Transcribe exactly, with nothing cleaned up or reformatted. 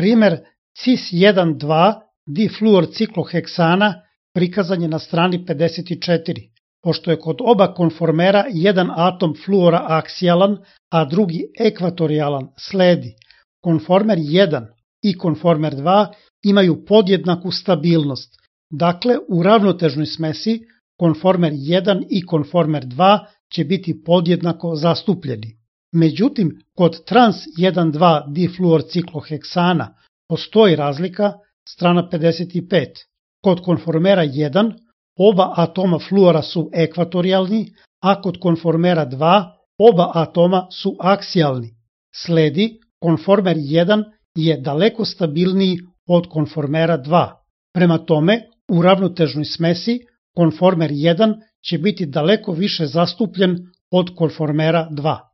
Primer cis jedan dva difluorcikloheksana prikazan je na strani pedeset četiri. Pošto je kod oba konformera jedan atom fluora aksijalan, a drugi ekvatorijalan, sledi. Konformer jedan i konformer dva imaju podjednaku stabilnost. Dakle, u ravnotežnoj smesi konformer jedan i konformer dva će biti podjednako zastupljeni. Međutim, kod trans jedan dva difluorcikloheksana postoji razlika, strana pedeset pet. Kod konformera jedan oba atoma fluora su ekvatorijalni, a kod konformera dva oba atoma su aksijalni. Sledi, konformer jedan je daleko stabilniji od konformera dva. Prema tome, u ravnotežnoj smesi konformer jedan će biti daleko više zastupljen od konformera dva.